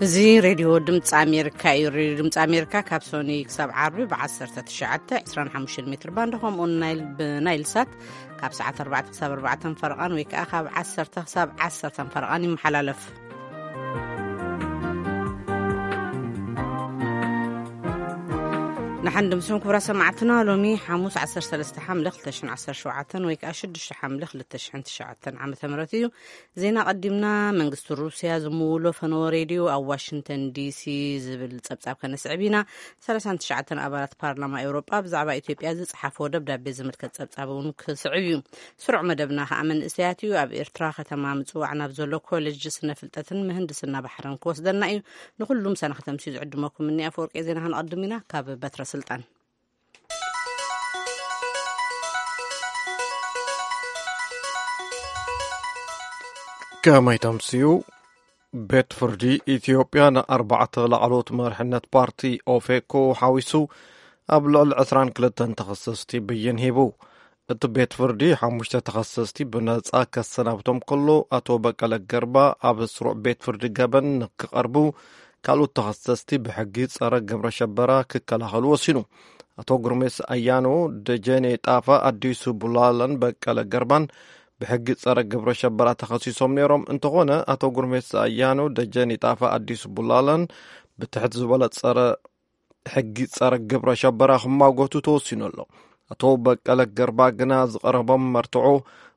እዚ ሬድዮ ድምፂ ኣሜሪካ እዩ። ሬድዮ ድምፂ ኣሜሪካ ካብ ሶኒ ክሳብ ዓርቢ ብ19፣ 25 ሜትር ባንድ፣ ከምኡውን ናይል፣ ብናይል ሳት ካብ ሰዓት ኣርባዕተ ክሳብ ኣርባዕተ ፈረቓን ወይ ከዓ ካብ ዓሰርተ ክሳብ ዓሰርተ ፈረቓን ይመሓላለፍ። ንሓን ድምስም ክቡራ ሰማዕትና፣ ሎሚ ሓሙስ ዓሰርተ ሰለስተ ሓምለ ክልተ ሽሕን ዓሰርተ ሸውዓተን ወይ ከዓ ሽዱሽተ ሓምለ ክልተ ሽሕን ትሽዓተን ዓመተ ምህረት እዩ። ዜና ቀዲምና። መንግስቲ ሩስያ ዝምውሎ ፈነወ ሬድዮ ኣብ ዋሽንግተን ዲሲ ዝብል ጸብጻብ ከነስዕብ ኢና። ሰላሳን ትሽዓተን ኣባላት ፓርላማ ኤውሮጳ ብዛዕባ ኢትዮጵያ ዝጸሓፍዎ ደብዳቤ ዝምልከት ጸብጻብ እውን ክስዕብ እዩ። ስሩዕ መደብና ከኣ መንእሰያት እዩ። ኣብ ኤርትራ ከተማ ምጽዋዕ ናብ ዘሎ ኮሌጅ ስነ ፍልጠትን ምህንድስና ባሕርን ክወስደና እዩ። ንኹሉም ሰናኽተምሲ ዝዕድመኩም እኒ ኣፈወርቂ ዜና ክንቐድም ኢና። ካብ በትረ ስልጣን። ከመይ ተምስዩ? ቤት ፍርዲ ኢትዮጵያ ንኣርባዕተ ላዕለዎት መርሕነት ፓርቲ ኦፌኮ ሓዊሱ ኣብ ልዕሊ ዕስራን ክልተን ተኸሰስቲ ብይን ሂቡ። እቲ ቤት ፍርዲ ሓሙሽተ ተኸሰስቲ ብነጻ ከሰናብቶም ከሎ፣ ኣቶ በቀለ ገርባ ኣብ ስሩዕ ቤት ፍርዲ ገበን ንክቐርቡ፣ ካልኦት ተኸሰስቲ ብሕጊ ጸረ ግብረ ሸበራ ክከላኸሉ ወሲኑ። ኣቶ ጉርሜስ ኣያኖ፣ ደጀኔ ጣፋ፣ ኣዲሱ ቡላላን በቀለ ገርባን ብሕጊ ጸረ ግብረ ሸበራ ተኸሲሶም ነይሮም። እንተኾነ፣ ኣቶ ጉርሜስ ኣያኖ፣ ደጀኔ ጣፋ፣ ኣዲሱ ቡላላን ብትሕቲ ዝበለ ጸረ ሕጊ ጸረ ግብረ ሸበራ ክማጎቱ ተወሲኑ ኣሎ። ኣቶ በቀለ ገርባ ግና ዝቐረቦም መርትዖ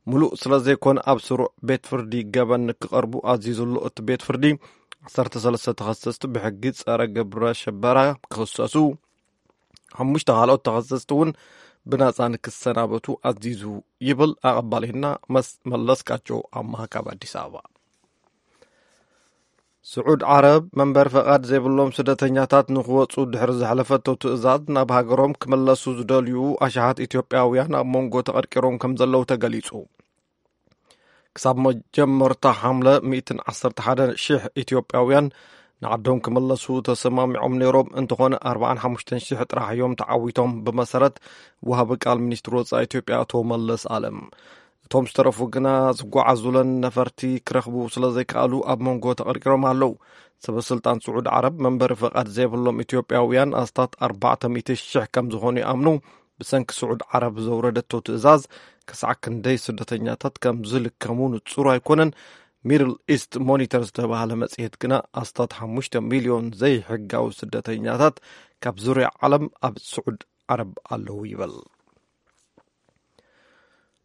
ምሉእ ስለ ዘይኮነ፣ ኣብ ስሩዕ ቤት ፍርዲ ገበን ንክቐርቡ ኣዚዙ ኣሎ። እቲ ቤት ፍርዲ ዓሰርተ ሰለስተ ተኸሰስቲ ብሕጊ ጸረ ግብረ ሸበራ ክኽሰሱ፣ ሓሙሽተ ካልኦት ተኸሰስቲ እውን ብናጻ ንክሰናበቱ ኣዚዙ ይብል ኣቐባሊና መስ-፣ መለስካቸው ኣማሃ ካብ ኣዲስ ኣበባ። ስዑድ ዓረብ መንበሪ ፈቓድ ዘይብሎም ስደተኛታት ንክወጹ ድሕሪ ዘሕለፈቶ ትእዛዝ፣ ናብ ሃገሮም ክምለሱ ዝደልዩ ኣሽሓት ኢትዮጵያውያን ኣብ መንጎ ተቐርቂሮም ከም ዘለዉ ተገሊጹ። ክሳብ መጀመርታ ሓምለ ሚእትን ዓሰርተ ሓደ ሽሕ ኢትዮጵያውያን ንዓዶም ክምለሱ ተሰማሚዖም ነይሮም። እንተኾነ፣ ኣርባዓን ሓሙሽተን ሽሕ ጥራሕ እዮም ተዓዊቶም፣ ብመሰረት ወሃቢ ቃል ሚኒስትሪ ወጻኢ ኢትዮጵያ ኣቶ መለስ ኣለም። እቶም ዝተረፉ ግና ዝጓዓዙለን ነፈርቲ ክረኽቡ ስለ ዘይከኣሉ፣ ኣብ መንጎ ተቐርቂሮም ኣለዉ። ሰበ ስልጣን ስዑድ ዓረብ መንበሪ ፈቓድ ዘይብሎም ኢትዮጵያውያን ኣስታት ኣርባዕተ ሚእቲ ሽሕ ከም ዝኾኑ ይኣምኑ። ብሰንኪ ስዑድ ዓረብ ዘውረደቶ ትእዛዝ፣ ክሳዕ ክንደይ ስደተኛታት ከም ዝልከሙ ንጹር ኣይኮነን። ሚድል ኢስት ሞኒተር ዝተባህለ መጽሔት ግና፣ ኣስታት ሓሙሽተ ሚልዮን ዘይሕጋዊ ስደተኛታት ካብ ዙርያ ዓለም ኣብ ስዑድ ዓረብ ኣለዉ ይብል።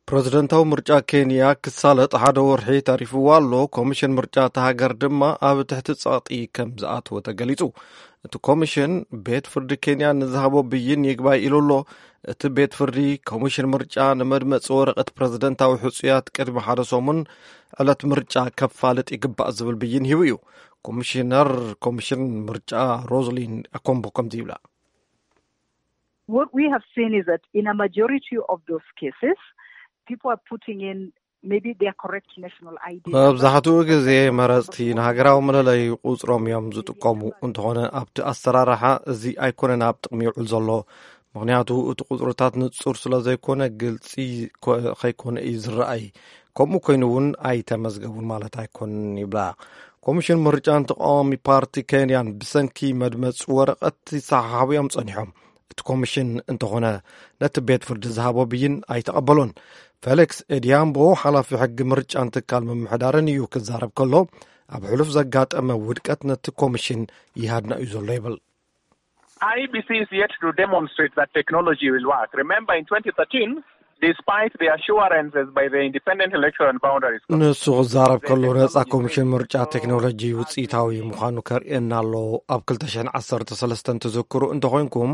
ፕረዚደንታዊ ምርጫ ኬንያ ክሳለጥ ሓደ ወርሒ ተሪፍዎ ኣሎ። ኮሚሽን ምርጫ እታ ሃገር ድማ ኣብ ትሕቲ ጸቕጢ ከም ዝኣተወ ተገሊጹ። እቲ ኮሚሽን፣ ቤት ፍርዲ ኬንያ ንዝሃቦ ብይን ይግባይ ኢሉ ኣሎ። እቲ ቤት ፍርዲ፣ ኮሚሽን ምርጫ ንመድመጺ ወረቐት ፕረዚደንታዊ ሕጹያት ቅድሚ ሓደ ሰሙን ዕለት ምርጫ ከፋልጥ ይግባእ ዝብል ብይን ሂቡ እዩ። ኮሚሽነር ኮሚሽን ምርጫ ሮዝሊን ኣኮምቦ ከምዚ ይብላ። What we have seen is that in a majority of those cases, people are putting in maybe their correct national I D number. መብዛሕትኡ ግዜ መረጽቲ ንሃገራዊ መለለይ ቁጽሮም እዮም ዝጥቀሙ። እንተኾነ፣ ኣብቲ ኣሰራርሓ እዚ ኣይኮነን ኣብ ጥቕሚ ይውዕል ዘሎ። ምኽንያቱ፣ እቲ ቁጽርታት ንጹር ስለ ዘይኮነ፣ ግልጺ ኮ-፣ ከይኮነ እዩ ዝረኣይ። ከምኡ ኮይኑ እውን ኣይተመዝገቡን ማለት ኣይኮንን ይብላ። ኮሚሽን ምርጫን ተቃዋሚ ፓርቲ ኬንያን ብሰንኪ መድመጺ ወረቐት ይሰሓሓቡ እዮም ጸኒሖም። እቲ ኮሚሽን እንተኾነ፣ ነቲ ቤት ፍርዲ ዝሃቦ ብይን ኣይተቐበሎን። ፌሊክስ ኤዲያምቦ፣ ሓላፊ ሕጊ ምርጫን ትካል ምምሕዳርን እዩ ክዛረብ ከሎ፣ ኣብ ሕሉፍ ዘጋጠመ ውድቀት ነቲ ኮሚሽን ይሃድና እዩ ዘሎ ይብል። I E B C is yet to demonstrate that technology will work. Remember, in twenty thirteen, despite the assurances by the Independent Election and Boundaries Commission, ንሱ ክዛረብ ከሎ፣ ነጻ ኮሚሽን ምርጫ ቴክኖሎጂ ውጽኢታዊ ምዃኑ ከርእየና ኣሎ። ኣብ ክልተ ሽሕን ዓሰርተ ሰለስተን ትዝክሩ እንተኾይንኩም፣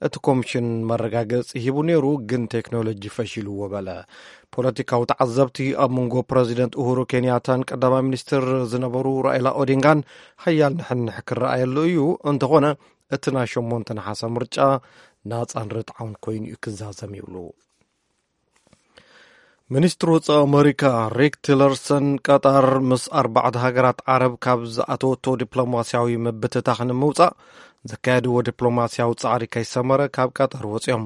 እቲ ኮሚሽን መረጋገጺ ሂቡ ነይሩ፣ ግን ቴክኖሎጂ ፈሺልዎ በለ። ፖለቲካዊ ተዓዘብቲ፣ ኣብ መንጎ ፕረዚደንት ኡሁሩ ኬንያታን ቀዳማይ ሚኒስትር ዝነበሩ ራኢላ ኦዲንጋን ሓያል ንሕንሕ ክረኣየሉ እዩ። እንተኾነ፣ እቲ ናይ ሸሞንተ ነሓሰ ምርጫ ናጻን ርትዓውን ኮይኑ እዩ ክዛዘም ይብሉ። ሚኒስትሪ ወጻኢ ኣመሪካ ሪክ ቲለርሰን፣ ቀጣር ምስ ኣርባዕተ ሃገራት ዓረብ ካብ ዝኣተወቶ ዲፕሎማስያዊ ምብትታኽ ንምውጻእ ዘካየድዎ ዲፕሎማስያዊ ጻዕሪ ከይሰመረ ካብ ቀጠር ወጺኦም።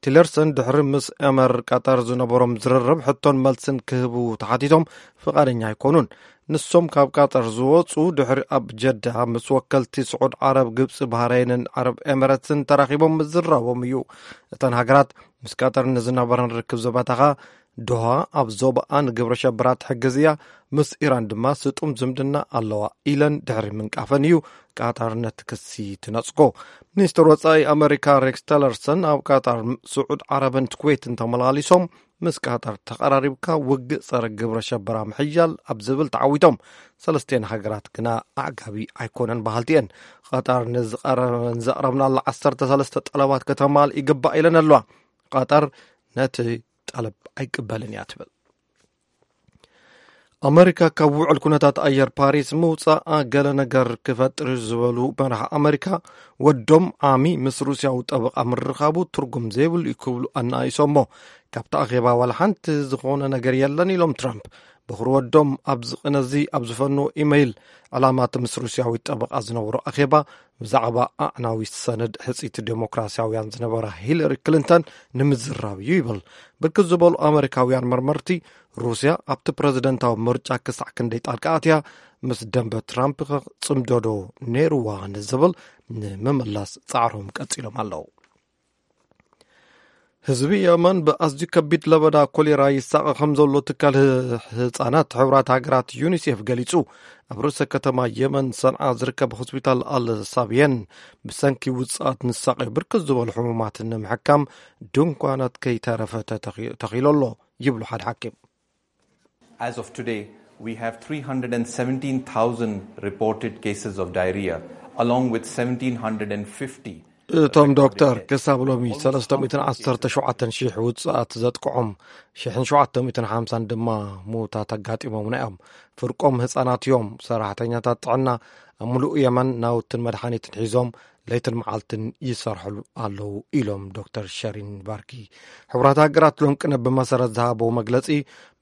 ቲለርሰን ድሕሪ ምስ ኤመር ቀጠር ዝነበሮም ዝርርብ ሕቶን መልስን ክህቡ ተሓቲቶም ፍቓደኛ ኣይኮኑን። ንሶም ካብ ቀጠር ዝወጹ ድሕሪ ኣብ ጀዳ ምስ ወከልቲ ስዑድ ዓረብ፣ ግብጺ፣ ባህረይንን ዓረብ ኤመረትስን ተራኺቦም ምዝራቦም እዩ። እተን ሃገራት ምስ ቀጠር ንዝነበረን ርክብ ዝበተኻ፣ ዶሃ ኣብ ዞባኣ ንግብረ ሸበራ ትሕግዝ እያ፣ ምስ ኢራን ድማ ስጡም ዝምድና ኣለዋ ኢለን ድሕሪ ምንቃፈን እዩ ቀጠር ነቲ ክሲ ትነጽጎ። ሚኒስትር ወጻኢ ኣመሪካ ሬክስ ቲለርሰን ኣብ ቀጠር፣ ስዑድ ዓረብን ኩዌትን ተመላሊሶም፣ ምስ ቀጠር ተቐራሪብካ ውግእ ጸረ ግብረ ሸበራ ምሕያል ኣብ ዝብል ተዓዊቶም፣ ሰለስቲኤን ሃገራት ግና ኣዕጋቢ ኣይኮነን በሃልቲ እየን። ቀጠር ንዝቐረ-፣ ንዘቕረብናላ ዓሰርተ ሰለስተ ጠለባት ከተማልእ ይግባእ ኢለን ኣለዋ። ቀጠር ነቲ ጠለብ ኣይቅበልን እያ ትብል። ኣመሪካ ካብ ውዕል ኩነታት ኣየር ፓሪስ ምውጻኣ ገለ ነገር ክፈጥር እዩ ዝበሉ መራሒ ኣመሪካ፣ ወዶም ዓሚ ምስ ሩስያዊ ጠበቓ ምርኻቡ ትርጉም ዘይብሉ እዩ ክብሉ ኣናኢሶሞ። ካብቲ ኣኼባ ዋላ ሓንቲ ዝኾነ ነገር የለን ኢሎም ትራምፕ። በኹሪ ወዶም ኣብዚ ቅነዚ ኣብ ዝፈንዎ ኢመይል፣ ዕላማ እቲ ምስ ሩስያዊ ጠበቓ ዝነበሮ ኣኼባ ብዛዕባ ኣዕናዊ ሰነድ ሕጽይቲ ዴሞክራሲያውያን ዝነበራ ሂለሪ ክሊንተን ንምዝራብ እዩ ይብል። ብርክት ዝበሉ ኣመሪካውያን መርመርቲ፣ ሩስያ ኣብቲ ፕረዚደንታዊ ምርጫ ክሳዕ ክንደይ ጣልቃ ኣትያ፣ ምስ ደንበ ትራምፕ ኸ ጽምዶ ዶ ነይርዋ ንዝብል ንምምላስ ጻዕሮም ቀጺሎም ኣለዉ። ህዝቢ የመን ብኣዝዩ ከቢድ ለበዳ ኮሌራ ይሳቐ ከም ዘሎ ትካል ህ-፣ ህጻናት ሕቡራት ሃገራት ዩኒሴፍ ገሊጹ። ኣብ ርእሰ ከተማ የመን ሰንዓ ዝርከብ ሆስፒታል ኣል ሳብየን ብሰንኪ ውጽኣት ንሳቐዩ ብርክት ዝበሉ ሕሙማት ንምሕካም ድንኳናት ከይተረፈ ተተኺ-፣ ተኺሉ ኣሎ ይብሉ ሓደ ሓኪም። As of today, we have three hundred seventeen thousand reported cases of diarrhea, along with seventeen hundred fifty እቶም ዶክተር፣ ክሳብ ሎሚ ሰለስተ ሚእትን ዓሰርተ ሸውዓተን ሽሕ ውጽኣት ዘጥቅዖም፣ ሽሕን ሸውዓተ ሚእትን ሓምሳን ድማ ምውታት ኣጋጢሞምና እዮም። ፍርቆም ህጻናት እዮም። ሰራሕተኛታት ጥዕና ኣብ ምሉእ የመን ናውትን መድሓኒትን ሒዞም ለይትን መዓልትን ይሰርሕሉ ኣለዉ ኢሎም ዶክተር ሸሪን ባርኪ። ሕቡራት ሃገራት ሎምቅነ ብመሰረት ዝሃበዎ መግለጺ፣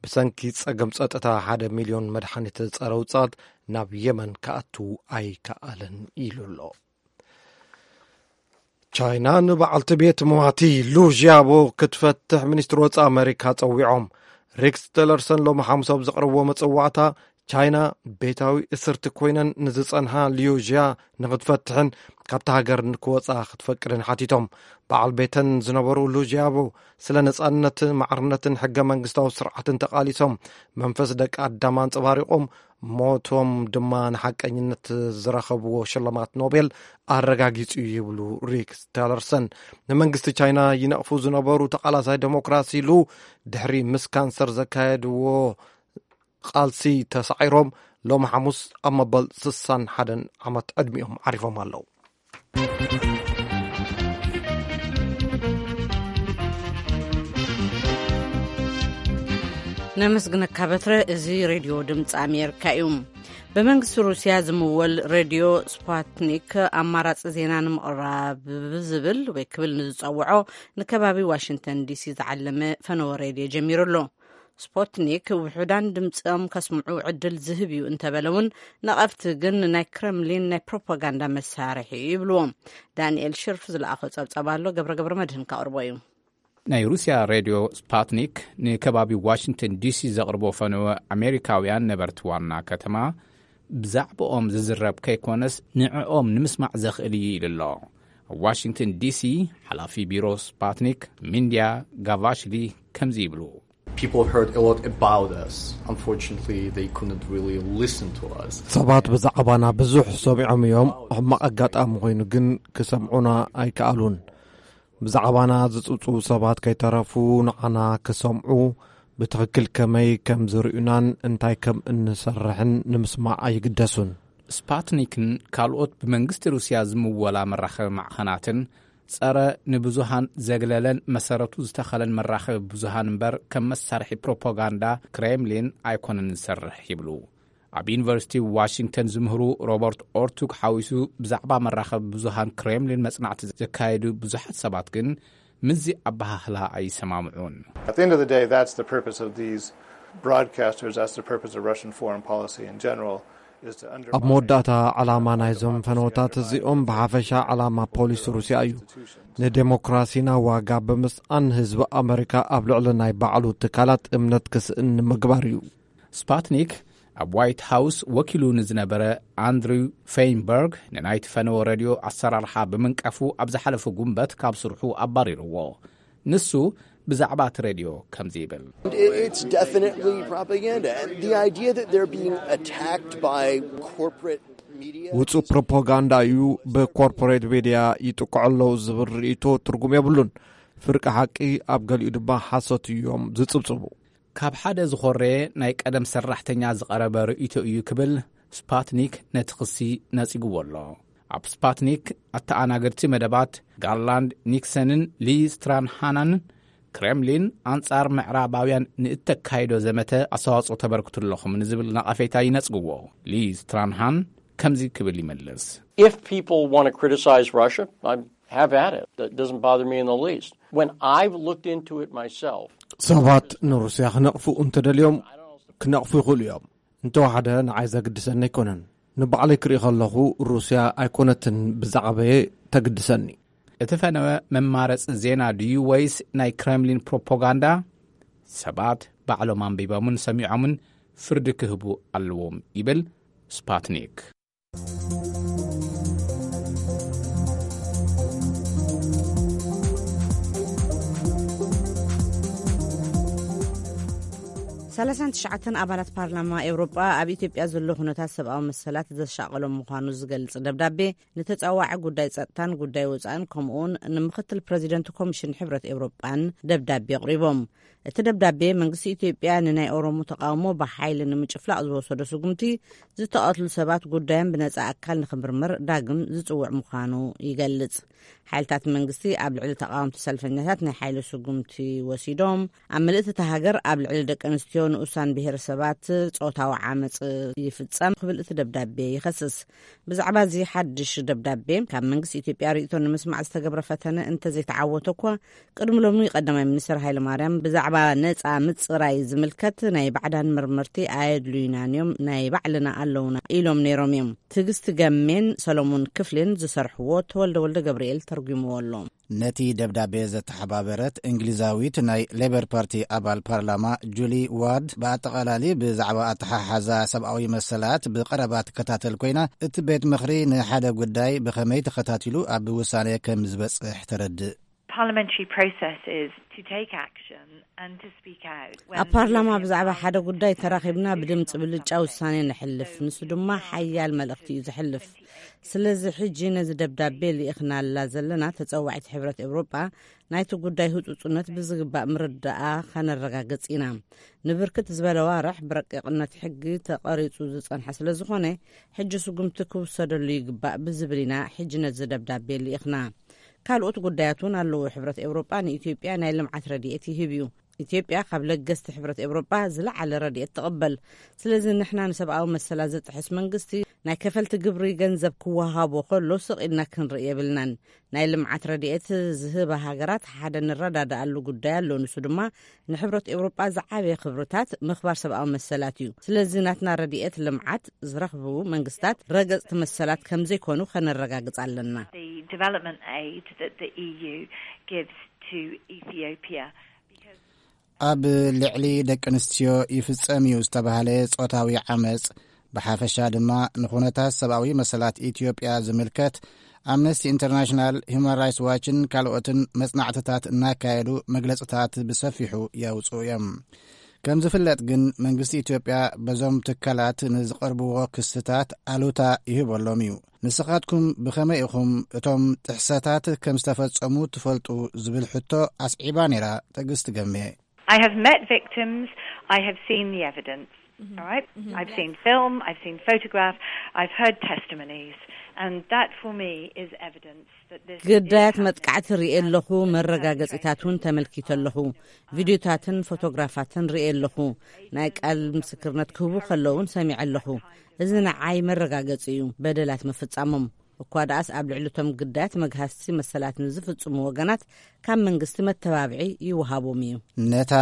ብሰንኪ ጸገም ጸጥታ ሓደ ሚልዮን መድሓኒት ጸረ ውጽኣት ናብ የመን ክኣቱ ኣይከኣለን ኢሉ ኣሎ። ቻይና ንበዓልቲ ቤት መዋቲ ሉ ዢያቦ ክትፈትሕ ሚኒስትሪ ወጻኢ ኣመሪካ ጸዊዖም። ሬክስ ቲለርሰን ሎሚ ሓሙስ ኣብ ዘቕረብዎ መጸዋዕታ፣ ቻይና ቤታዊ እስርቲ ኮይነን ንዝጸንሓ ሊዩ ዥያ ንኽትፈትሕን ካብታ ሃገር ንክወጻ ክትፈቅድን ሓቲቶም። በዓል ቤተን ዝነበሩ ሉ ዢያቦ ስለ ነጻነት፣ ማዕርነትን ሕገ መንግስታዊ ስርዓትን ተቓሊሶም፣ መንፈስ ደቂ ኣዳም ኣንጸባሪቖም፣ ሞቶም ድማ ንሓቀኝነት ዝረኸብዎ ሽልማት ኖቤል ኣረጋጊጹ ይብሉ ሬክስ ቲለርሰን። ንመንግስቲ ቻይና ይነቕፉ ዝነበሩ ተቓላሳይ ዴሞክራሲ ሉ ድሕሪ ምስ ካንሰር ዘካየድዎ ቃልሲ ተሳዒሮም ሎሚ ሓሙስ ኣብ መበል ስሳን ሓደን ዓመት ዕድሚኦም ዓሪፎም ኣለዉ። ነመስግነካ በትረ። እዚ ሬድዮ ድምፂ ኣሜሪካ እዩ። ብመንግስቲ ሩስያ ዝምወል ሬድዮ ስፓትኒክ ኣማራፂ ዜና ንምቕራብ ብዝብል ወይ ክብል ንዝፀውዖ ንከባቢ ዋሽንግተን ዲሲ ዝዓለመ ፈነወ ሬድዮ ጀሚሩ ኣሎ። ስፖትኒክ ውሑዳን ድምፂኦም ከስምዑ ዕድል ዝህብ እዩ እንተበለ እውን፣ ነቐፍቲ ግን ናይ ክረምሊን ናይ ፕሮፓጋንዳ መሳርሒ እዩ ይብልዎ። ዳንኤል ሽርፍ ዝለኣኾ ጸብጻብ ኣሎ፣ ገብረ ገብረ መድህን ከቕርቦ እዩ። ናይ ሩስያ ሬድዮ ስፓትኒክ ንከባቢ ዋሽንግተን ዲሲ ዘቕርቦ ፈነወ፣ ኣሜሪካውያን ነበርቲ ዋና ከተማ ብዛዕባኦም ዝዝረብ ከይኮነስ ንዕኦም ንምስማዕ ዘኽእል እዩ ኢሉ ኣሎ። ኣብ ዋሽንግተን ዲሲ ሓላፊ ቢሮ ስፓትኒክ ሚንድያ ጋቫሽሊ ከምዚ ይብሉ። People heard a lot about us. Unfortunately, they couldn't really listen to us. ሰባት ብዛዕባና ብዙሕ ሰሚዖም እዮም። ሕማቕ ኣጋጣሚ ኮይኑ ግን ክሰምዑና ኣይከኣሉን። ብዛዕባና ዝጽብጽቡ ሰባት ከይተረፉ ንዓና ክሰምዑ፣ ብትኽክል ከመይ ከም ዝርእዩናን እንታይ ከም እንሰርሕን ንምስማዕ ኣይግደሱን። ስፓትኒክን ካልኦት ብመንግስቲ ሩስያ ዝምወላ መራኸቢ ማዕኸናትን ጸረ ንብዙሃን ዘግለለን መሰረቱ ዝተኸለን መራኸቢ ብዙሃን እምበር ከም መሳርሒ ፕሮፓጋንዳ ክሬምሊን ኣይኮነን ዝሰርሕ ይብሉ። ኣብ ዩኒቨርሲቲ ዋሽንግተን ዝምህሩ ሮበርት ኦርቱግ ሓዊሱ ብዛዕባ መራኸቢ ብዙሃን ክሬምሊን መጽናዕቲ ዘካየዱ ብዙሓት ሰባት ግን ምስዚ ኣበሃህላ ኣይሰማምዑን። At the end of the day, that's the purpose of these broadcasters, that's the purpose of Russian foreign policy in general, ኣብ መወዳእታ፣ ዓላማ ናይዞም ፈነወታት እዚኦም ብሓፈሻ ዓላማ ፖሊስ ሩስያ እዩ። ንዴሞክራሲና ዋጋ ብምስኣን፣ ህዝቢ ኣመሪካ ኣብ ልዕሊ ናይ ባዕሉ ትካላት እምነት ክስእን ንምግባር እዩ። ስፓትኒክ ኣብ ዋይት ሃውስ ወኪሉ ንዝነበረ ኣንድሪው ፌይንበርግ ንናይቲ ፈነወ ሬድዮ ኣሰራርሓ ብምንቃፉ ኣብ ዝሓለፈ ጉንበት ካብ ስርሑ ኣባሪርዎ። ንሱ ብዛዕባ እቲ ሬድዮ ከምዚ ይብል። It's definitely propaganda. And the idea that they're being attacked by corporate media. ውጹእ ፕሮፓጋንዳ እዩ። ብኮርፖሬት ሚድያ ይጥቅዑ ኣለዉ ዝብል ርእይቶ ትርጉም የብሉን። ፍርቂ ሓቂ ኣብ ገሊኡ ድማ ሓሶት እዮም ዝጽብጽቡ። ካብ ሓደ ዝኾረየ ናይ ቀደም ሰራሕተኛ ዝቐረበ ርእይቶ እዩ ክብል ስፓትኒክ ነቲ ክሲ ነጺግዎ ኣሎ። ኣብ ስፓትኒክ ኣተኣናገድቲ መደባት ጋርላንድ ኒክሰንን ሊ ስትራንሃናንን፣ ክሬምሊን ኣንጻር ምዕራባውያን ንእተካይዶ ዘመተ ኣስተዋጽኦ ተበርክቱ ኣለኹም ንዝብል ነቐፌታ ይነጽግዎ። ሊ ስትራንሃን ከምዚ ክብል ይመልስ። If people want to criticize Russia, I have at it. That doesn't bother me in the least. When I've looked into it myself, ሰባት ንሩስያ ክነቕፉ እንተደልዮም ክነቕፉ ይኽእሉ እዮም። እንተወሓደ ንዓይ ዘግድሰኒ ኣይኮነን። ንባዕለይ ክርኢ ከለኹ ሩስያ ኣይኮነትን ብዛዕባየ ተግድሰኒ። እቲ ፈነወ መማረፂ ዜና ድዩ ወይስ ናይ ክሬምሊን ፕሮፓጋንዳ? ሰባት ባዕሎም ኣንቢቦምን ሰሚዖምን ፍርዲ ክህቡ ኣለዎም ይብል ስፓትኒክ። ሰላሳን ትሽዓተን ኣባላት ፓርላማ ኤውሮጳ ኣብ ኢትዮጵያ ዘሎ ኩነታት ሰብኣዊ መሰላት ዘሻቐሎም ምዃኑ ዝገልጽ ደብዳቤ ንተጻዋዒ ጉዳይ ጸጥታን ጉዳይ ወጻእን ከምኡውን ንምክትል ፕረዚደንት ኮሚሽን ሕብረት ኤውሮጳን ደብዳቤ ኣቕሪቦም። እቲ ደብዳቤ መንግስቲ ኢትዮጵያ ንናይ ኦሮሞ ተቓውሞ ብሓይሊ ንምጭፍላቕ ዝወሰዶ ስጉምቲ፣ ዝተቐትሉ ሰባት ጉዳዮም ብነጻ ኣካል ንኽምርመር ዳግም ዝጽውዕ ምዃኑ ይገልጽ። ሓይልታት መንግስቲ ኣብ ልዕሊ ተቓወምቲ ሰልፈኛታት ናይ ሓይሊ ስጉምቲ ወሲዶም፣ ኣብ ምልእቲ እታ ሃገር ኣብ ልዕሊ ደቂ ኣንስትዮ ንኡሳን ብሄረሰባት ጾታዊ ዓመጽ ይፍጸም ክብል እቲ ደብዳቤ ይኸስስ። ብዛዕባ እዚ ሓድሽ ደብዳቤ ካብ መንግስቲ ኢትዮጵያ ርእይቶ ንምስማዕ ዝተገብረ ፈተነ እንተዘይተዓወተ እኳ፣ ቅድሚ ሎሚ ቀዳማይ ሚኒስትር ሃይለ ማርያም ብዛዕባ ነጻ ምጽራይ ዝምልከት ናይ ባዕዳን መርመርቲ ኣየድልዩናን እዮም፣ ናይ ባዕልና ኣለውና ኢሎም ነይሮም እዮም። ትዕግስቲ ገሜን ሰሎሞን ክፍሌን ዝሰርሕዎ ተወልደ ወልደ ገብርኤል ተርጉምዎ ኣሎ። ነቲ ደብዳቤ ዘተሓባበረት እንግሊዛዊት ናይ ሌበር ፓርቲ ኣባል ፓርላማ ጁሊ ዋርድ፣ ብኣጠቓላሊ ብዛዕባ ኣተሓሓዛ ሰብኣዊ መሰላት ብቐረባ ትከታተል ኮይና፣ እቲ ቤት ምኽሪ ንሓደ ጉዳይ ብኸመይ ተኸታቲሉ ኣብ ውሳነ ከም ዝበጽሕ ተረድእ። Parliamentary process is to take action and to speak out when ኣብ ፓርላማ ብዛዕባ ሓደ ጉዳይ ተራኺብና ብድምፂ ብልጫ ውሳኔ ነሕልፍ። ንሱ ድማ ሓያል መልእኽቲ እዩ ዘሕልፍ። ስለዚ ሕጂ ነዚ ደብዳቤ ልኢኽናላ ዘለና ተጸዋዒት ሕብረት ኤውሮጳ ናይቲ ጉዳይ ህጹጽነት ብዝግባእ ምርዳኣ ከነረጋግጽ ኢና። ንብርክት ዝበለ ዋርሕ ብረቂቕነት ሕጊ ተቐሪጹ ዝጸንሐ ስለ ዝኾነ፣ ሕጂ ስጉምቲ ክውሰደሉ ይግባእ ብዝብል ኢና ሕጂ ነዚ ደብዳቤ ልኢኽና። ካልኦት ጉዳያት እውን ኣለዉ። ሕብረት ኤውሮጳ ንኢትዮጵያ ናይ ልምዓት ረድኤት ይህብ እዩ። ኢትዮጵያ ካብ ለገስቲ ሕብረት ኤውሮጳ ዝለዓለ ረድኤት ትቕበል። ስለዚ ንሕና ንሰብኣዊ መሰላት ዝጥሕስ መንግስቲ ናይ ከፈልቲ ግብሪ ገንዘብ ክወሃቦ ከሎ ስቕ ኢልና ክንርኢ የብልናን። ናይ ልምዓት ረድኤት ዝህባ ሃገራት ሓደ ንረዳድኣሉ ጉዳይ ኣሎ። ንሱ ድማ ንሕብረት ኤውሮጳ ዝዓበየ ክብርታት ምኽባር ሰብኣዊ መሰላት እዩ። ስለዚ ናትና ረድኤት ልምዓት ዝረኽቡ መንግስታት ረገጽቲ መሰላት ከም ዘይኮኑ ከነረጋግጽ ኣለና። The development aid that the E U gives to Ethiopia. ኣብ ልዕሊ ደቂ ኣንስትዮ ይፍጸም እዩ ዝተባህለ ጾታዊ ዓመጽ፣ ብሓፈሻ ድማ ንኹነታት ሰብኣዊ መሰላት ኢትዮጵያ ዝምልከት፣ ኣምነስቲ ኢንተርናሽናል፣ ሁማን ራይትስ ዋችን ካልኦትን መጽናዕትታት እናካየዱ መግለጽታት ብሰፊሑ የውጽኡ እዮም። ከም ዝፍለጥ ግን፣ መንግስቲ ኢትዮጵያ በዞም ትካላት ንዝቐርብዎ ክስታት ኣሉታ ይህበሎም እዩ። ንስኻትኩም ብኸመይ ኢኹም እቶም ጥሕሰታት ከም ዝተፈጸሙ ትፈልጡ ዝብል ሕቶ ኣስዒባ ነይራ ትዕግስቲ ገሜ። I have met victims, I have seen the evidence. All right? I've seen film, I've seen photograph, I've heard testimonies, and that for me is evidence that this is ግዳያት happening. መጥቃዕቲ ርእየ ኣለኹ፣ መረጋገጺታት እውን ተመልኪተ ኣለኹ። ቪድዮታትን ፎቶግራፋትን ርእየ ኣለኹ። ናይ ቃል ምስክርነት ክህቡ ከለውን ሰሚዐ ኣለኹ። እዚ ንዓይ መረጋገጺ እዩ በደላት ምፍጻሞም። እኳ ደኣስ ኣብ ልዕሊ እቶም ግዳያት መግሃስቲ መሰላት ንዝፍጽሙ ወገናት ካብ መንግስቲ መተባብዒ ይወሃቦም እዩ። ነታ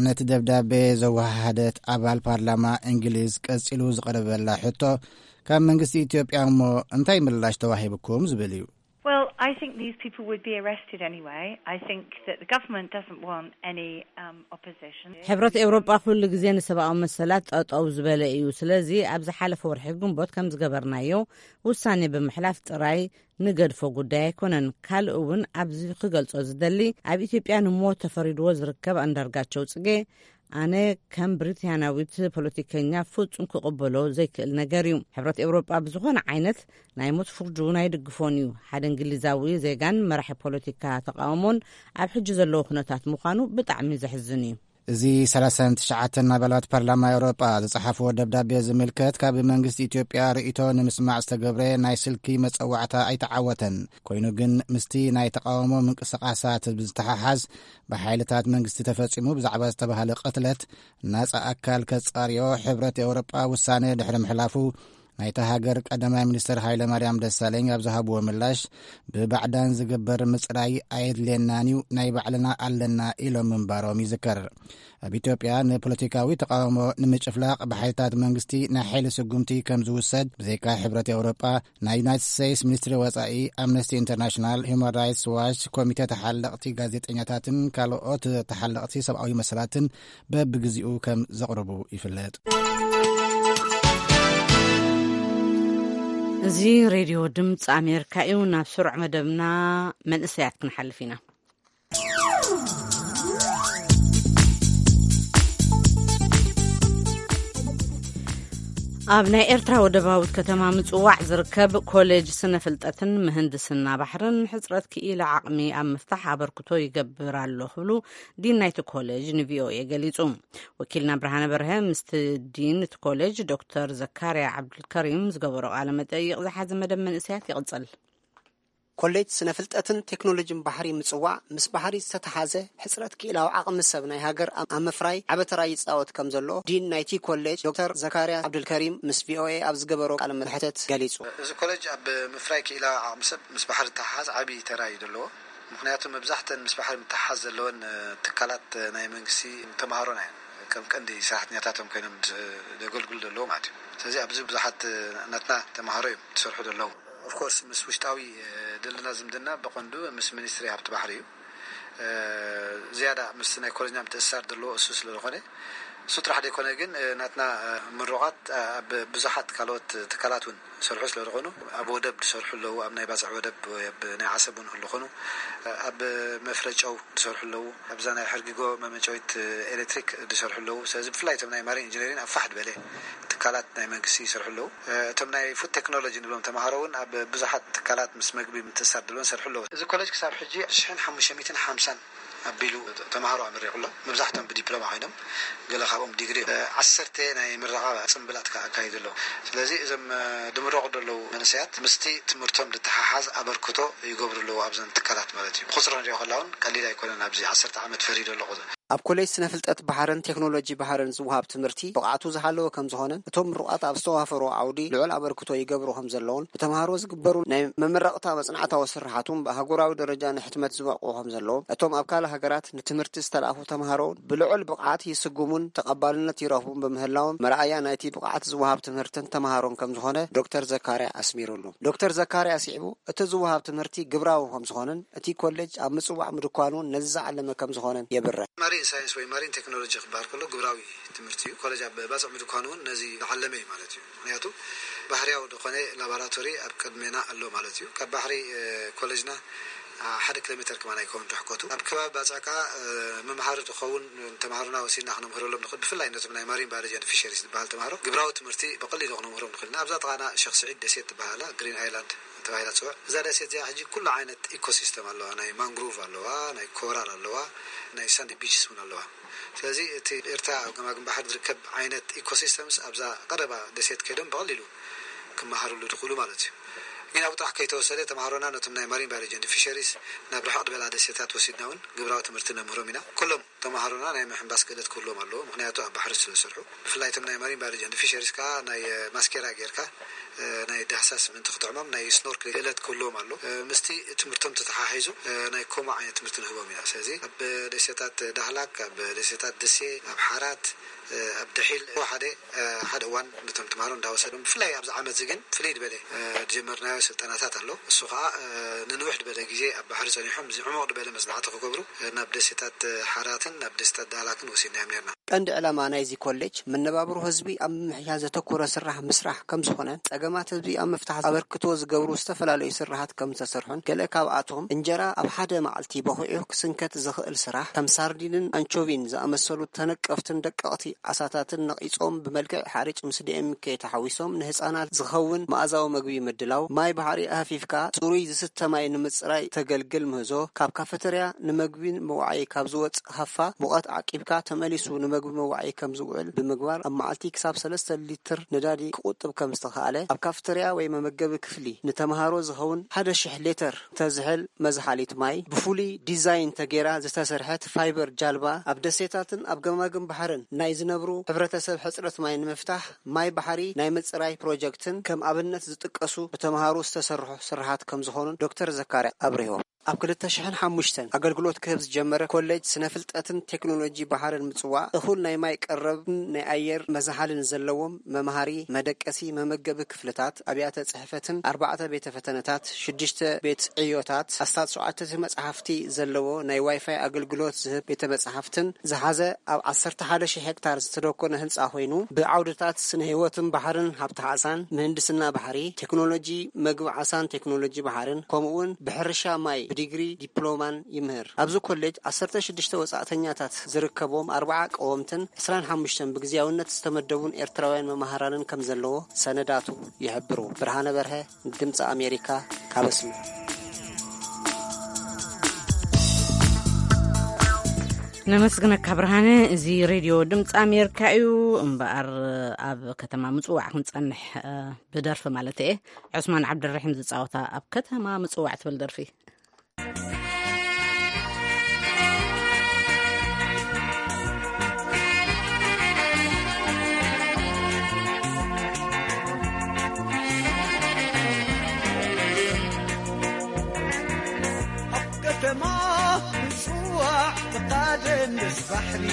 ነቲ ደብዳቤ ዘወሃሃደት ኣባል ፓርላማ እንግሊዝ ቀጺሉ ዝቐረበላ ሕቶ፣ ካብ መንግስቲ ኢትዮጵያ እሞ እንታይ ምላሽ ተዋሂብኩም ዝብል እዩ። Well, I think these people would be arrested anyway. I think that the government doesn't want any um, opposition. ሕብረት ኤውሮጳ ኩሉ ግዜ ንሰብኣዊ መሰላት ጠጠው ዝበለ እዩ። ስለዚ ኣብ ዝሓለፈ ወርሒ ግንቦት ከም ዝገበርናዮ ውሳኔ ብምሕላፍ ጥራይ ንገድፎ ጉዳይ ኣይኮነን። ካልእ እውን ኣብዚ ክገልጾ ዝደሊ፣ ኣብ ኢትዮጵያ ንሞት ተፈሪድዎ ዝርከብ ኣንዳርጋቸው ጽጌ ኣነ ከም ብሪታንያዊት ፖለቲከኛ ፍጹም ክቕበሎ ዘይክእል ነገር እዩ። ሕብረት ኤውሮጳ ብዝኾነ ዓይነት ናይ ሞት ፍርዱ ናይ ድግፎን እዩ። ሓደ እንግሊዛዊ ዜጋን መራሒ ፖለቲካ ተቃውሞን ኣብ ሕጂ ዘለዎ ኩነታት ምዃኑ ብጣዕሚ ዘሕዝን እዩ። እዚ ሰላሳን ትሽዓተን ኣባላት ፓርላማ ኤውሮጳ ዝጸሓፍዎ ደብዳቤ ዝምልከት፣ ካብ መንግስቲ ኢትዮጵያ ርእይቶ ንምስማዕ ዝተገብረ ናይ ስልኪ መጸዋዕታ ኣይተዓወተን። ኮይኑ ግን፣ ምስቲ ናይ ተቃውሞ ምንቅስቃሳት ብዝተሓሓዝ፣ ብሓይልታት መንግስቲ ተፈጺሙ ብዛዕባ ዝተባህለ ቅትለት ናጻ ኣካል ከጻርዮ ሕብረት ኤውሮጳ ውሳነ ድሕሪ ምሕላፉ፣ ናይታ ሃገር ቀዳማይ ሚኒስትር ሃይለ ማርያም ደሳለኝ ኣብ ዝሃብዎ ምላሽ፣ ብባዕዳን ዝግበር ምጽራይ ኣየድልየናን እዩ፣ ናይ ባዕልና ኣለና ኢሎም ምንባሮም ይዝከር። ኣብ ኢትዮጵያ ንፖለቲካዊ ተቃውሞ ንምጭፍላቕ ብሓይልታት መንግስቲ ናይ ሓይሊ ስጉምቲ ከም ዝውሰድ፣ ብዘይካ ሕብረት ኤውሮጳ፣ ናይ ዩናይትድ ስቴትስ ሚኒስትሪ ወጻኢ፣ ኣምነስቲ ኢንተርናሽናል፣ ሂውማን ራይትስ ዋች፣ ኮሚተ ተሓለቕቲ ጋዜጠኛታትን ካልኦት ተሓለቕቲ ሰብኣዊ መሰላትን በብግዚኡ ከም ዘቕርቡ ይፍለጥ። እዚ ሬድዮ ድምፂ ኣሜሪካ እዩ። ናብ ስሩዕ መደብና መንእሰያት ክንሓልፍ ኢና። ኣብ ናይ ኤርትራ ወደባዊት ከተማ ምጽዋዕ ዝርከብ ኮሌጅ ስነ ፍልጠትን ምህንድስና ባሕርን ሕጽረት ክኢላ ዓቕሚ ኣብ ምፍታሕ ኣበርክቶ ይገብር ኣሎ ክብሉ ዲን ናይቲ ኮሌጅ ንቪኦኤ ገሊጹ። ወኪልና ብርሃነ በርሀ ምስቲ ዲን እቲ ኮሌጅ ዶክተር ዘካርያ ዓብዱልከሪም ዝገበሮ ቃለ መጠይቕ ዝሓዘ መደብ መንእሰያት ይቕጽል። ኮሌጅ ስነ ፍልጠትን ቴክኖሎጂን ባሕሪ ምጽዋዕ ምስ ባሕሪ ዝተተሓዘ ሕጽረት ክኢላዊ ዓቕሚ ሰብ ናይ ሃገር ኣብ ምፍራይ ዓቢ ተራ ይጻወት ከም ዘሎ ዲን ናይቲ ኮሌጅ ዶክተር ዘካርያ ዓብዱልከሪም ምስ ቪኦኤ ኣብ ዝገበሮ ቃለ መሕተት ገሊጹ። እዚ ኮሌጅ ኣብ ምፍራይ ክኢላዊ ዓቕሚ ሰብ ምስ ባሕሪ ዝተሓሓዝ ዓቢ ተራ እዩ ዘለዎ። ምክንያቱ መብዛሕተን ምስ ባሕሪ ምትሓሓዝ ዘለወን ትካላት ናይ መንግስቲ ተምሃሮና እየን ከም ቀንዲ ሰራሕተኛታቶም ኮይኖም ዘገልግሉ ዘለዉ ማለት እዩ። ስለዚ ኣብዚ ብዙሓት ናትና ተምሃሮ እዮም ዝሰርሑ ዘለዉ። ኦፍኮርስ ምስ ውሽጣዊ ዘለና ዝምድና ብቐንዱ ምስ ሚኒስትሪ ሃብቲ ባሕሪ እዩ። ዝያዳ ምስ ናይ ኮለኛ ምትእስሳር ዘለዎ እሱ ስለ ዝኾነ፣ እሱ ጥራሕ ዘይኮነ ግን ናትና ምሩቓት ኣብ ብዙሓት ካልኦት ትካላት እውን ዝሰርሑ ስለ ዝኾኑ፣ ኣብ ወደብ ዝሰርሑ ኣለዉ፣ ኣብ ናይ ባጽዕ ወደብ ወይ ኣብ ናይ ዓሰብ እውን ክህሉ ኾኑ፣ ኣብ መፍረ ጨው ዝሰርሑ ኣለዉ፣ ኣብዛ ናይ ሕርጊጎ መመጨዊት ኤሌክትሪክ ዝሰርሑ ኣለዉ። ስለዚ ብፍላይ እቶም ናይ ማሪን ኢንጂነሪን ኣብ ፋሕ ዝበለ ትካላት ናይ መንግስቲ ይሰርሑ ኣለዉ። እቶም ናይ ፉድ ቴክኖሎጂ ንብሎም ተምሃሮ እውን ኣብ ብዙሓት ትካላት ምስ መግቢ ምትእሳር ድልወን ሰርሑ ኣለዉ። እዚ ኮሌጅ ክሳብ ሕጂ ሽሕን ሓሙሽተ ሚእትን ሓምሳን ኣቢሉ ተምሃሮ ኣመሪቑ ኣሎ። መብዛሕቶም ብዲፕሎማ ኮይኖም፣ ገለ ካብኦም ዲግሪ እዮም። ዓሰርተ ናይ ምረቓ ጽምብላት ከኣ ኣካይዱ ኣለዉ። ስለዚ እዞም ድምረቑ ዘለዉ መንእሰያት ምስቲ ትምህርቶም ዝተሓሓዝ ኣበርክቶ ይገብሩ ኣለዉ ኣብዘን ትካላት ማለት እዩ። ብቁጽሪ ንሪኦ ከላ እውን ቀሊል ኣይኮነን። ኣብዚ ዓሰርተ ዓመት ፈሪዱ ኣሎ ቁጽሪ። ኣብ ኮሌጅ ስነ ፍልጠት ባሕርን ቴክኖሎጂ ባሕርን ዝወሃብ ትምህርቲ ብቕዓቱ ዝሃለወ ከም ዝኾነን እቶም ምሩቓት ኣብ ዝተዋፈሮ ዓውዲ ልዑል ኣበርክቶ ይገብሩ ከም ዘለውን ብተምሃሮ ዝግበሩ ናይ መመረቕታ መጽናዕታዊ ስርሓት እውን ብኣህጉራዊ ደረጃ ንሕትመት ዝበቕዑ ከም ዘለዎም እቶም ኣብ ካልእ ሃገራት ንትምህርቲ ዝተላእኩ ተምሃሮ እውን ብልዑል ብቕዓት ይስጉሙን ተቐባልነት ይረኽቡን ብምህላዎም መርኣያ ናይቲ ብቕዓት ዝወሃብ ትምህርትን ተምሃሮን ከም ዝኾነ ዶክተር ዘካርያ ኣስሚሩሉ። ዶክተር ዘካርያ ኣስዒቡ እቲ ዝወሃብ ትምህርቲ ግብራዊ ከም ዝኾነን እቲ ኮሌጅ ኣብ ምጽዋዕ ምድኳን እውን ነዚ ዝዓለመ ከም ዝኾነን የብርህ። ማሪን ሳይንስ ወይ ማሪን ቴክኖሎጂ ክበሃል ከሎ ግብራዊ ትምህርቲ እዩ። ኮሌጅ ኣብ ባጽዕ ምድኳን እውን ነዚ ዝዓለመ እዩ ማለት እዩ። ምክንያቱ ባህርያዊ ዝኾነ ላቦራቶሪ ኣብ ቅድሜና ኣሎ ማለት እዩ። ካብ ባሕሪ ኮሌጅና ሓደ ኪሎ ሜተር ከማን ኣይከውን ርሕቀቱ። ኣብ ከባቢ ባጽዕ ከኣ መምሃሪ ዝኸውን ተምሃሮና ወሲድና ክነምህረሎም ንኽእል። ብፍላይ ነቶም ናይ ማሪን ባዮሎጂ ፊሸሪስ ዝበሃል ተምሃሮ ግብራዊ ትምህርቲ ብቐሊሉ ክነምህሮም ንኽእል ኢና። ኣብዛ ጥቓና ሸኽ ስዒድ ደሴት ትበሃላ ግሪን ኣይላንድ ተባሂላ ትፅዋዕ። እዛ ደሴት እዚኣ ሕጂ ኩሉ ዓይነት ኢኮሲስተም ኣለዋ። ናይ ማንግሩቭ ኣለዋ፣ ናይ ኮራል ኣለዋ፣ ናይ ሳንዲ ቢችስ እውን ኣለዋ። ስለዚ እቲ ኤርትራ ኣብ ገማግም ባሕሪ ዝርከብ ዓይነት ኢኮሲስተምስ ኣብዛ ቀረባ ደሴት ከይዶም ብቐሊሉ ክመሃርሉ ዝኽእሉ ማለት እዩ። ኢና ብጣሕ ከይተወሰደ ተምሃሮና ነቶም ናይ ማሪን ባዮሎጂ ኤንድ ፊሸሪስ ናብ ርሕቕ ዝበላ ደሴታት ወሲድና እውን ግብራዊ ትምህርቲ ነምህሮም ኢና። ኩሎም ተምሃሮና ናይ ምሕንባስ ክእለት ክህልዎም ኣለዎ፣ ምኽንያቱ ኣብ ባሕሪ ስለ ዝሰርሑ። ብፍላይ እቶም ናይ ማሪን ባዮሎጂ ኤንድ ፊሸሪስ ከኣ ናይ ማስኬራ ጌርካ ናይ ዳህሳስ ምእንቲ ክጥዕሞም ናይ ስኖርክሊንግ ክእለት ክህልዎም ኣሎ። ምስቲ ትምህርቶም ተተሓሒዙ ናይ ኮማ ዓይነት ትምህርቲ ንህቦም ኢና። ስለዚ ኣብ ደሴታት ዳህላክ፣ ኣብ ደሴታት ደሴ፣ ኣብ ሓራት፣ ኣብ ደሒል ሓደ ሓደ እዋን ነቶም ተምሃሮ እንዳወሰዶም፣ ብፍላይ ኣብዚ ዓመት እዚ ግን ፍልይ ዝበለ ዝጀመርናዮ ስልጠናታት ኣሎ። እሱ ከዓ ንንውሕ ዝበለ ግዜ ኣብ ባሕሪ ጸኒሖም እዚ ዕሙቕ ዝበለ መጽናዕቲ ክገብሩ ናብ ደሴታት ሓራትን ናብ ደሴታት ዳህላክን ወሲድናዮም ነርና። ቀንዲ ዕላማ ናይዚ ኮሌጅ መነባብሮ ህዝቢ ኣብ ምምሕያሽ ዘተኮረ ስራሕ ምስራሕ ከም ዝኾነ፣ ጸገማት ህዝቢ ኣብ ምፍታሕ ኣበርክቶ ዝገብሩ ዝተፈላለዩ ስራሓት ከም ዝተሰርሑን፣ ገለ ካብኣቶም እንጀራ ኣብ ሓደ መዓልቲ በኺዑ ክስንከት ዝኽእል ስራሕ፣ ከም ሳርዲንን ኣንቾቪን ዝኣመሰሉ ተነቀፍትን ደቀቕቲ ዓሳታትን ነቒጾም ብመልክዕ ሓርጭ ምስ ዲ ኤም ከይ ተሓዊሶም ንህጻናት ዝኸውን መኣዛዊ መግቢ ምድላው፣ ማይ ባሕሪ ኣህፊፍካ ጽሩይ ዝስተ ማይ ንምጽራይ ተገልግል ምህዞ፣ ካብ ካፈተርያ ንመግቢ መዋዓዪ ካብ ዝወጽእ ሃፋ ሙቐት ዓቂብካ ተመሊሱ ንመግቢ መዋዒ ከም ዝውዕል ብምግባር፣ ኣብ መዓልቲ ክሳብ ሰለስተ ሊትር ነዳዲ ክቑጥብ ከም ዝተኻእለ፣ ኣብ ካፍተርያ ወይ መመገቢ ክፍሊ ንተምሃሮ ዝኸውን ሓደ ሽሕ ሊትር ተዝሕል መዝሓሊት ማይ ብፍሉይ ዲዛይን ተገይራ ዝተሰርሐት ፋይበር ጃልባ፣ ኣብ ደሴታትን ኣብ ገማግም ባሕርን ናይ ዝነብሩ ሕብረተሰብ ሕጽረት ማይ ንምፍታሕ ማይ ባሕሪ ናይ ምጽራይ ፕሮጀክትን ከም ኣብነት ዝጥቀሱ ብተምሃሮ ዝተሰርሑ ስራሓት ከም ዝኾኑን ዶክተር ዘካርያ ኣብሪሆም። ኣብ ክልተ ሽሕን ሓሙሽተን ኣገልግሎት ክህብ ዝጀመረ ኮሌጅ ስነ ፍልጠትን ቴክኖሎጂ ባሕርን ምጽዋዕ፣ እኹል ናይ ማይ ቀረብን ናይ ኣየር መዝሓልን ዘለዎም መምሃሪ፣ መደቀሲ፣ መመገቢ ክፍልታት፣ ኣብያተ ጽሕፈትን ኣርባዕተ ቤተ ፈተነታት፣ ሽዱሽተ ቤት ዕዮታት፣ ኣስታት ሸውዓተ መጽሓፍቲ ዘለዎ ናይ ዋይፋይ ኣገልግሎት ዝህብ ቤተ መጽሓፍትን ዝሓዘ ኣብ ዓሰርተ ሓደ ሺሕ ሄክታር ዝተደኮነ ህንጻ ኮይኑ፣ ብዓውድታት ስነ ህይወትን ባሕርን፣ ሃብቲ ዓሳን፣ ምህንድስና ባሕሪ፣ ቴክኖሎጂ መግቢ ዓሳን ቴክኖሎጂ ባሕርን፣ ከምኡ'ውን ብሕርሻ ማይ ብዲግሪ ዲፕሎማን ይምህር። ኣብዚ ኮሌጅ ዓሰርተ ሽዱሽተ ወጻእተኛታት ዝርከቦም ኣርባዓ ቀወምትን ዕስራን ሓሙሽተን ብግዝያውነት ዝተመደቡን ኤርትራውያን መማህራንን ከም ዘለዎ ሰነዳቱ ይሕብሩ። ብርሃነ በርሀ፣ ድምፂ ኣሜሪካ፣ ካብ ኣስመራ። ነመስግነካ ብርሃነ። እዚ ሬድዮ ድምፂ ኣሜሪካ እዩ። እምበኣር ኣብ ከተማ ምፅዋዕ ክንፀንሕ፣ እ፣ ብደርፊ ማለት እየ። ዑስማን ዓብደልረሒም ዝፃወታ ኣብ ከተማ ምፅዋዕ ትብል ደርፊ። ኣብ ከተማ ምጽዋዕ ተቓደም ምስ ባሕሪ፣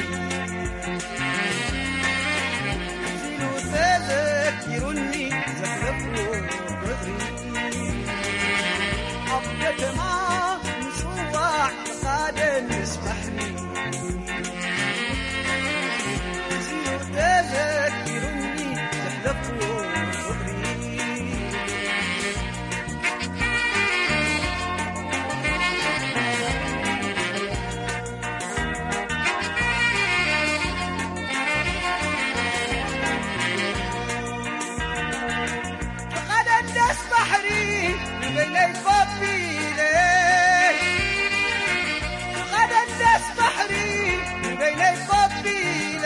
ሕዚሉ ተዘኪሩኒ ዘሕለፍዎ ፍቕሪ። ኣብ ከተማ ምጽዋዕ ተቓደም ምስ ባሕሪ፣ ሕዚሉ ተዘኪሩኒ ዘሕለፍዎ ፍቕሪ። ፍቓደን ደስ ባሕሪ ንበይነይ ኮፍ ኢለ፣ ፍቓደን ደስ ባሕሪ ንበይነይ ኮፍ ኢለ፣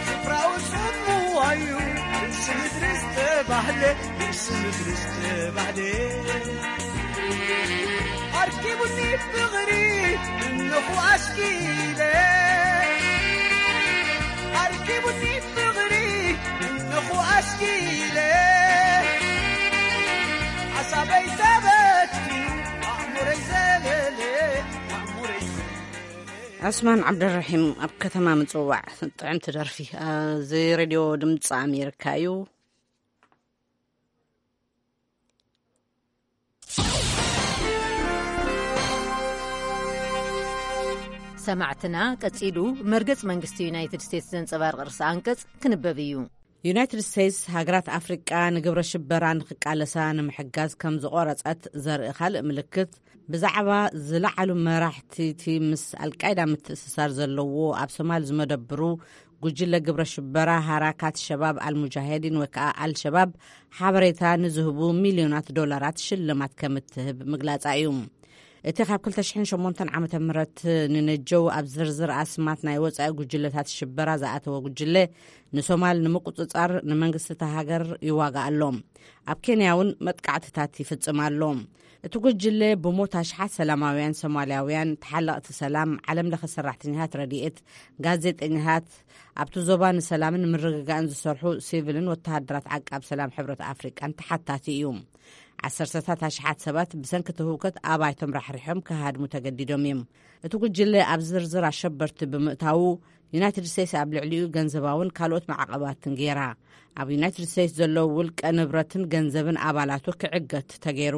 ስፍራኡ ጽምዋ እዩ ርእሲ ምድሪ ዝተባህለ፣ ርእሲ ምድሪ ዝተባህለ። ኣርኪቡኒ ፍቕሪ እነኹ ኣስኪለ፣ ኣርኪቡኒ ፍቕሪ እነኹ ኣስኪለ፣ ሓሳበይ ተበቲኑ ኣእምሮይ ዘለለ፣ ኣእምሮይ ዘለለ። ዑስማን ዓብደልረሒም ኣብ ከተማ ምጽዋዕ። ጥዕምቲ ደርፊ። እዚ ሬድዮ ድምፂ ኣሜሪካ እዩ። ሰማዕትና፣ ቀጺሉ መርገጽ መንግስቲ ዩናይትድ ስቴትስ ዘንጸባርቕ ርእሰ ኣንቀጽ ክንበብ እዩ። ዩናይትድ ስቴትስ፣ ሃገራት ኣፍሪቃ ንግብረ ሽበራ ንኽቃለሳ ንምሕጋዝ ከም ዝቖረጸት ዘርኢ ካልእ ምልክት፣ ብዛዕባ ዝለዓሉ መራሕቲ እቲ ምስ ኣልቃይዳ ምትእስሳር ዘለዎ ኣብ ሶማል ዝመደብሩ ጉጅለ ግብረ ሽበራ ሃራካት ሸባብ ኣልሙጃሄዲን ወይ ከዓ ኣልሸባብ ሓበሬታ ንዝህቡ ሚልዮናት ዶላራት ሽልማት ከም እትህብ ምግላጻ እዩ። እቲ ካብ ክልተ ሽሕን ሸሞንተን ዓመተ ምህረት ንነጀው ኣብ ዝርዝር ኣስማት ናይ ወጻኢ ጉጅለታት ሽበራ ዝኣተወ ጉጅለ፣ ንሶማል ንምቁጽጻር ንመንግስቲ እታ ሃገር ይዋጋእ ኣሎ። ኣብ ኬንያ እውን መጥቃዕትታት ይፍጽም ኣሎ። እቲ ጉጅለ ብሞት ኣሽሓት ሰላማውያን ሶማልያውያን፣ ተሓለቕቲ ሰላም፣ ዓለም ለኸ ሰራሕተኛታት ረድኤት፣ ጋዜጠኛታት፣ ኣብቲ ዞባ ንሰላምን ምርግጋእን ዝሰርሑ ሲቪልን ወተሃደራት ዓቃብ ሰላም ሕብረት ኣፍሪቃን ተሓታቲ እዩ። ዓሰርተታት ኣሽሓት ሰባት ብሰንኪ እቲ ህውከት ኣባይቶም ራሕሪሖም ክሃድሙ ተገዲዶም እዮም። እቲ ጉጅለ ኣብ ዝርዝር ኣሸበርቲ ብምእታዉ፣ ዩናይትድ ስቴትስ ኣብ ልዕሊኡ ገንዘባውን ካልኦት ማዕቐባትን ገይራ። ኣብ ዩናይትድ ስቴትስ ዘለዉ ውልቀ ንብረትን ገንዘብን ኣባላቱ ክዕገት ተገይሩ።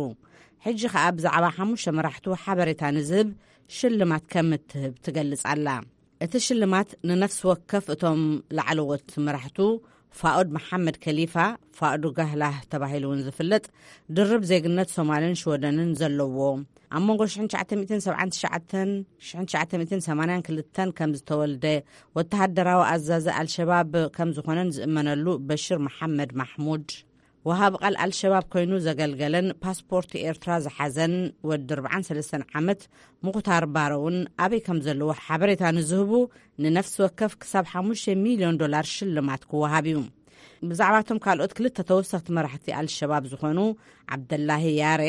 ሕጂ ከኣ ብዛዕባ ሓሙሽተ መራሕቱ ሓበሬታ ንዝህብ ሽልማት ከም እትህብ ትገልጽ ኣላ። እቲ ሽልማት ንነፍሲ ወከፍ እቶም ላዕለዎት መራሕቱ፣ ፋኡድ መሓመድ ከሊፋ፣ ፋኡድ ጋህላህ ተባሂሉ እውን ዝፍለጥ፣ ድርብ ዜግነት ሶማልን ሽወደንን ዘለዎ፣ ኣብ መንጎ ሽሕን ትሽዓተ ሚእትን ሰብዓን ትሽዓተን ሽሕን ትሽዓተ ሚእትን ሰማንያን ክልተን ከም ዝተወልደ፣ ወተሃደራዊ ኣዛዚ ኣልሸባብ ከም ዝኾነን ዝእመነሉ በሽር መሓመድ ማሕሙድ፣ ወሃቢ ቃል ኣልሸባብ ኮይኑ ዘገልገለን ፓስፖርት ኤርትራ ዝሓዘን ወዲ ኣርብዓን ሰለስተን ዓመት ሙኽታር ባረውን ኣበይ ከም ዘለዎ ሓበሬታ ንዝህቡ ንነፍሲ ወከፍ ክሳብ ሓሙሽተ ሚልዮን ዶላር ሽልማት ክወሃብ እዩ። ብዛዕባቶም ካልኦት ክልተ ተወሰኽቲ መራሕቲ ኣልሸባብ ዝኾኑ ዓብደላሂ ያሬ፣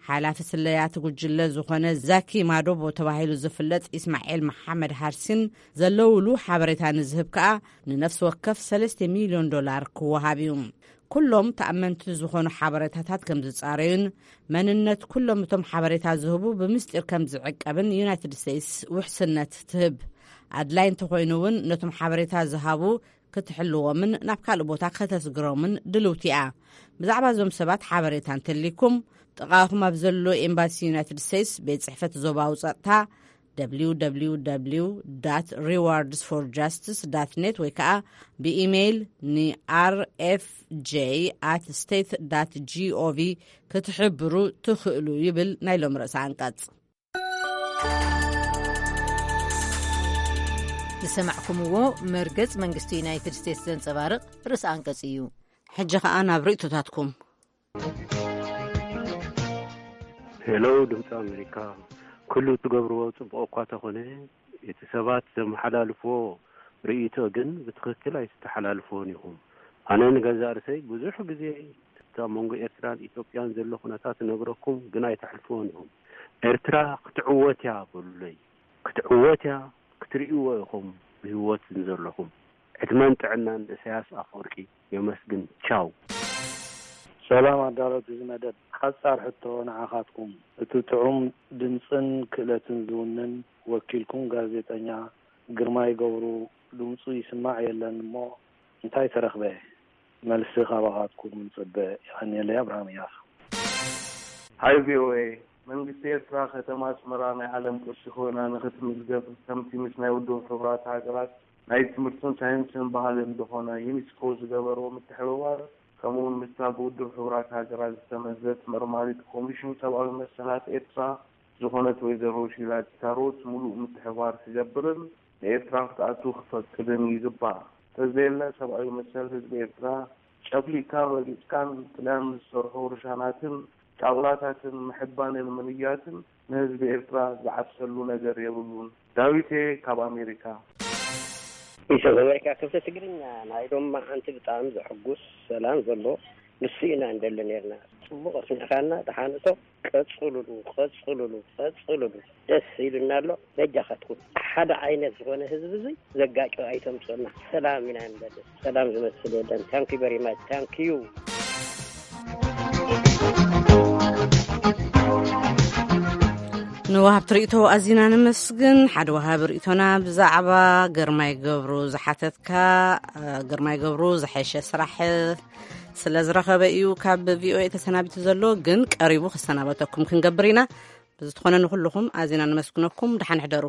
ሓላፊ ስለያቲ ጉጅለ ዝኾነ ዛኪ ማዶቦ ተባሂሉ ዝፍለጥ ኢስማኤል መሓመድ ሃርሲን ዘለውሉ ሓበሬታ ንዝህብ ከኣ ንነፍሲ ወከፍ ሰለስተ ሚልዮን ዶላር ክወሃብ እዩ። ኩሎም ተኣመንቲ ዝኾኑ ሓበሬታታት ከም ዝጻረዩን መንነት ኩሎም እቶም ሓበሬታ ዝህቡ ብምስጢር ከም ዝዕቀብን ዩናይትድ ስቴትስ ውሕስነት ትህብ። ኣድላይ እንተኾይኑ እውን ነቶም ሓበሬታ ዝሃቡ ክትሕልዎምን ናብ ካልእ ቦታ ከተስግሮምን ድልውቲ እያ። ብዛዕባ እዞም ሰባት ሓበሬታ እንተልይኩም፣ ጥቓኹም ኣብ ዘሎ ኤምባሲ ዩናይትድ ስቴትስ፣ ቤት ጽሕፈት ዞባዊ ጸጥታ፣ www rewards for justice net ወይ ከዓ ብኢሜይል ን rfj at state dot gov ክትሕብሩ ትኽእሉ ይብል ናይ ሎም ርእሰ ኣንቀጽ። ዝሰማዕኩምዎ መርገጽ መንግስቲ ዩናይትድ ስቴትስ ዘንጸባርቕ ርእሰ ኣንቀጽ እዩ። ሕጂ ኸኣ ናብ ርእይቶታትኩም። ሄሎ ድምፂ ኣሜሪካ፣ ኩሉ ትገብርዎ ፅቡቅ እኳ ተኾነ፣ እቲ ሰባት ዘመሓላልፍዎ ርእይቶ ግን ብትኽክል ኣይተተሓላልፍዎን ኢኹም። ኣነ ንገዛእ ርእሰይ ብዙሕ ግዜ ኣብ መንጎ ኤርትራን ኢትዮጵያን ዘሎ ኩነታት እነግረኩም፣ ግን ኣይተሕልፍዎን ኢኹም። ኤርትራ ክትዕወት እያ በሉለይ። ክትዕወት እያ፣ ክትርእይዎ ኢኹም ብህይወት ዘለኹም። ዕድመን ጥዕናን ንእሳያስ ኣፈወርቂ። የመስግን። ቻው። ሰላም ኣዳለውቲ እዚ መደብ፣ ሓጻር ሕቶ ንዓኻትኩም። እቲ ጥዑም ድምጽን ክእለትን ዝውንን ወኪልኩም ጋዜጠኛ ግርማይ ገብሩ ድምጹ ይስማዕ የለን እሞ እንታይ ተረኽበ? መልሲ ካባኻትኩም ንጽበ። የቐንየለይ። ኣብርሃም እያሱ። ሃይ ቪ ኦ ኤ፣ መንግስቲ ኤርትራ ከተማ ኣስመራ ናይ ዓለም ቅርሲ ኮይና ንኽትምዝገብ ከምቲ ምስ ናይ ውድብ ሕቡራት ሃገራት ናይ ትምህርትን ሳይንስን ባህልን ዝኾነ ዩኒስኮ ዝገበሮ ምትሕብባር፣ ከምኡውን ምስታ ብውድብ ሕቡራት ሃገራት ዝተመዘት መርማሪት ኮሚሽን ሰብኣዊ መሰላት ኤርትራ ዝኾነት ወይዘሮ ሺላ ኪታሮት ምሉእ ምትሕብባር ክገብርን ንኤርትራ ክትኣቱ ክፈቅድን ይግባእ። ተዘየለ ሰብኣዊ መሰል ህዝቢ ኤርትራ ጨፍሊቅካን ረጊጽካን ጥልያን ዝሰርሖ ርሻናትን ጫቑላታትን ምሕባንን ምንያትን ንህዝቢ ኤርትራ ዝዓብሰሉ ነገር የብሉን። ዳዊቴ ካብ ኣሜሪካ። ኢሰብ ኣሜሪካ ክፍለ ትግርኛ ናይ ሎማዓንቲ ብጣዕሚ ዘሐጉስ ሰላም ዘሎ ንሱ ኢና እንደሊ ነርና። ጽቡቕ ኣስሚዕካና ተሓንሶ ቀጽሉሉ፣ ቀጽሉሉ፣ ቀጽሉሉ። ደስ ኢሉና ኣሎ። በጃኻትኩም ሓደ ዓይነት ዝኾነ ህዝቢ እዚ ዘጋጮ ኣይተምጽኡና። ሰላም ኢና ንደሊ። ሰላም ዝመስል የለን። Thank you very much. Thank you። ንወሃብቲ ርእይቶ ኣዚና ነመስግን። ሓደ ወሃቢ ርእይቶና ብዛዕባ ግርማይ ገብሩ ዝሓተትካ፣ እ፣ ግርማይ ገብሩ ዝሐሸ ስራሕ ስለ ዝረኸበ እዩ ካብ ቪ ኦ ኤ ተሰናቢቱ ዘሎ፣ ግን ቀሪቡ ክሰናበተኩም ክንገብር ኢና። ብዝትኾነ ንኹልኹም ኣዚና ነመስግነኩም። ደሓን ሕደሩ።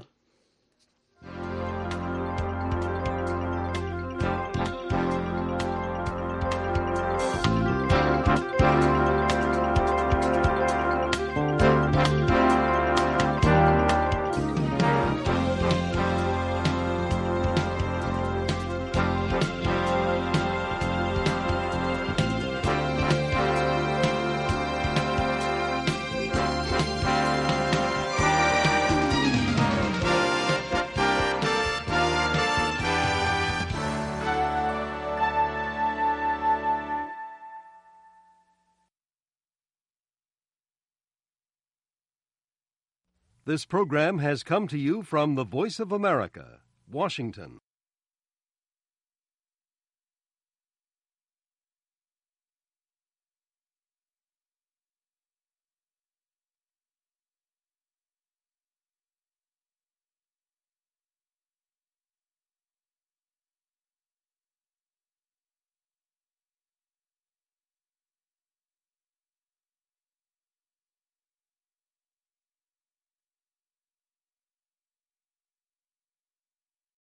This program has come to you from the Voice of America, Washington.